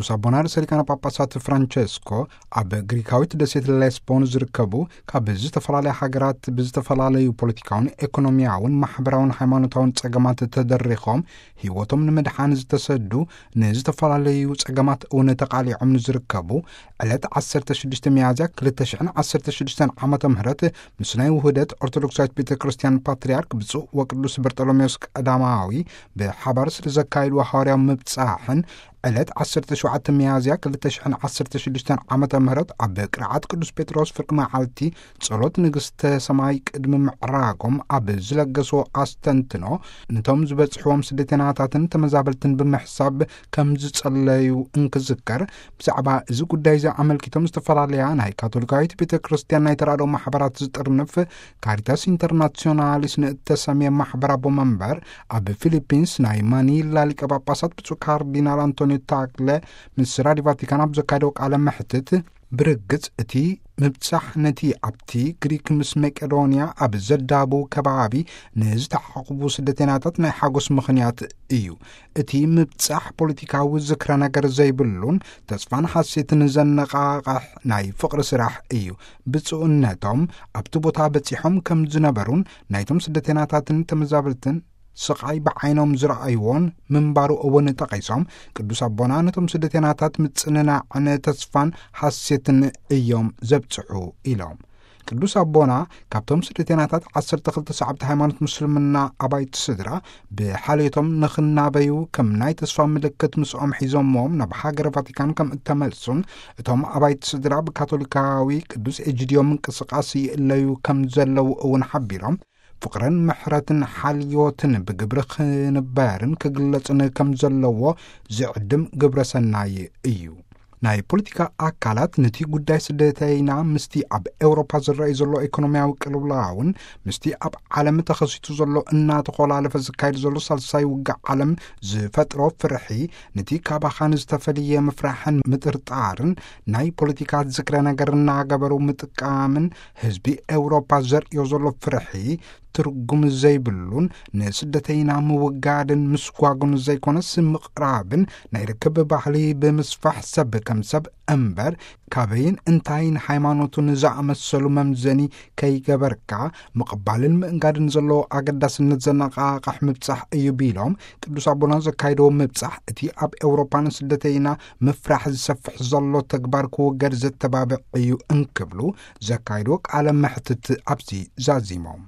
ቅዱስ ኣቦና ርእሰ ሊቃነ ጳጳሳት ፍራንቸስኮ ኣብ ግሪካዊት ደሴት ሌስቦን ዝርከቡ፣ ካብ ዝተፈላለያ ሃገራት ብዝተፈላለዩ ፖለቲካውን ኤኮኖሚያውን ማሕበራውን ሃይማኖታውን ጸገማት ተደሪኾም ህይወቶም ንምድሓን ዝተሰዱ፣ ንዝተፈላለዩ ጸገማት እውን ተቓሊዖም ንዝርከቡ፣ ዕለት ዓሰርተ ሽዱሽተ ሚያዝያ ክልተ ሽሕን ዓሰርተ ሽዱሽተን ዓመተ ምህረት ምስ ናይ ውህደት ኦርቶዶክሳዊት ቤተ ክርስቲያን ፓትርያርክ ብፁዕ ወቅዱስ በርጠሎሜዎስ ቀዳማዊ ብሓባር ስለ ዘካየድዎ ሃዋርያዊ ምብጻሕን ዕለት ዓሰርተ ሸውዓተ ሚያዝያ ክልተ ሽሕን ዓሰርተ ሽዱሽተን ዓመተ ምህረት ኣብ ቅርዓት ቅዱስ ጴጥሮስ ፍርቂ መዓልቲ ጸሎት ንግስተ ሰማይ ቅድሚ ምዕራጎም ኣብ ዝለገስዎ ኣስተንትኖ፣ ነቶም ዝበጽሕዎም ስደተናታትን ተመዛበልትን ብምሕሳብ ከም ዝጸለዩ እንክዝከር፣ ብዛዕባ እዚ ጉዳይ እዚ ኣመልኪቶም ዝተፈላለያ ናይ ካቶሊካዊት ቤተ ክርስቲያን ናይ ተራድኦ ማሕበራት ዝጥርንፍ ካሪታስ ኢንተርናሲዮናሊስ ንእተሰምየ ማሕበር ኣቦ መንበር ኣብ ፊሊፒንስ ናይ ማኒላ ሊቀ ጳጳሳት ብፁዕ ካርዲናል ኣንቶኒዮ ታግለ ምስ ራዲዮ ቫቲካን ኣብ ዘካየደው ቃለ መሕትት፣ ብርግጽ እቲ ምብጻሕ ነቲ ኣብቲ ግሪክ ምስ መቄዶንያ ኣብ ዘዳቡ ከባቢ ንዝተዓቑቡ ስደተናታት ናይ ሓጎስ ምኽንያት እዩ። እቲ ምብጻሕ ፖለቲካዊ ዝክረ ነገር ዘይብሉን ተስፋን ሓሴትን ዘነቓቕሕ ናይ ፍቕሪ ስራሕ እዩ። ብፁዕነቶም ኣብቲ ቦታ በጺሖም ከም ዝነበሩን ናይቶም ስደተናታትን ተመዛበልትን ስቓይ ብዓይኖም ዝረኣይዎን ምንባሩ እውን ጠቒሶም፣ ቅዱስ ኣቦና ነቶም ስደተናታት ምጽንናዕን ተስፋን ሓሴትን እዮም ዘብጽሑ ኢሎም። ቅዱስ ኣቦና ካብቶም ስደተናታት ዓሰርተ ክልተ ሰዓብቲ ሃይማኖት ምስልምና ኣባይቲ ስድራ ብሓልዮቶም ንኽናበዩ ከም ናይ ተስፋ ምልክት ምስኦም ሒዞምዎም ናብ ሃገረ ቫቲካን ከም እተመልሱን፣ እቶም ኣባይቲ ስድራ ብካቶሊካዊ ቅዱስ ኤጂድዮ ምንቅስቃስ ይእለዩ ከም ዘለዉ እውን ሓቢሮም፣ ፍቕርን ምሕረትን ሓልዮትን ብግብሪ ክንበርን ክግለጽን ከም ዘለዎ ዝዕድም ግብረ ሰናይ እዩ። ናይ ፖለቲካ ኣካላት ነቲ ጉዳይ ስደተይና ምስቲ ኣብ ኤውሮፓ ዝረኣይ ዘሎ ኢኮኖሚያዊ ቅልውላውን ምስቲ ኣብ ዓለም ተኸሲቱ ዘሎ እናተኾላለፈ ዝካየድ ዘሎ ሳልሳይ ውግእ ዓለም ዝፈጥሮ ፍርሒ፣ ነቲ ካባኻን ዝተፈልየ ምፍራሕን ምጥርጣርን ናይ ፖለቲካ ዝክረ ነገር እናገበሩ ምጥቃምን ህዝቢ ኤውሮፓ ዘርእዮ ዘሎ ፍርሒ ትርጉም ዘይብሉን ንስደተይና ምውጋድን ምስጓጉን ዘይኮነስ ምቕራብን ናይ ርክብ ባህሊ ብምስፋሕ ሰብ ከም ሰብ እምበር ካበይን እንታይን ሃይማኖቱን ዝኣመሰሉ መምዘኒ ከይገበርካ ምቕባልን ምእንጋድን ዘለዎ ኣገዳስነት ዘነቓቕሕ ምብጻሕ እዩ ቢሎም ቅዱስ ኣቦና ዘካይደዎ ምብጻሕ እቲ ኣብ ኤውሮፓ ንስደተይና ምፍራሕ ዝሰፍሕ ዘሎ ተግባር ክውገድ ዘተባብዕ እዩ እንክብሉ ዘካይድዎ ቃለ መሕትት ኣብዚ ዛዚሞም።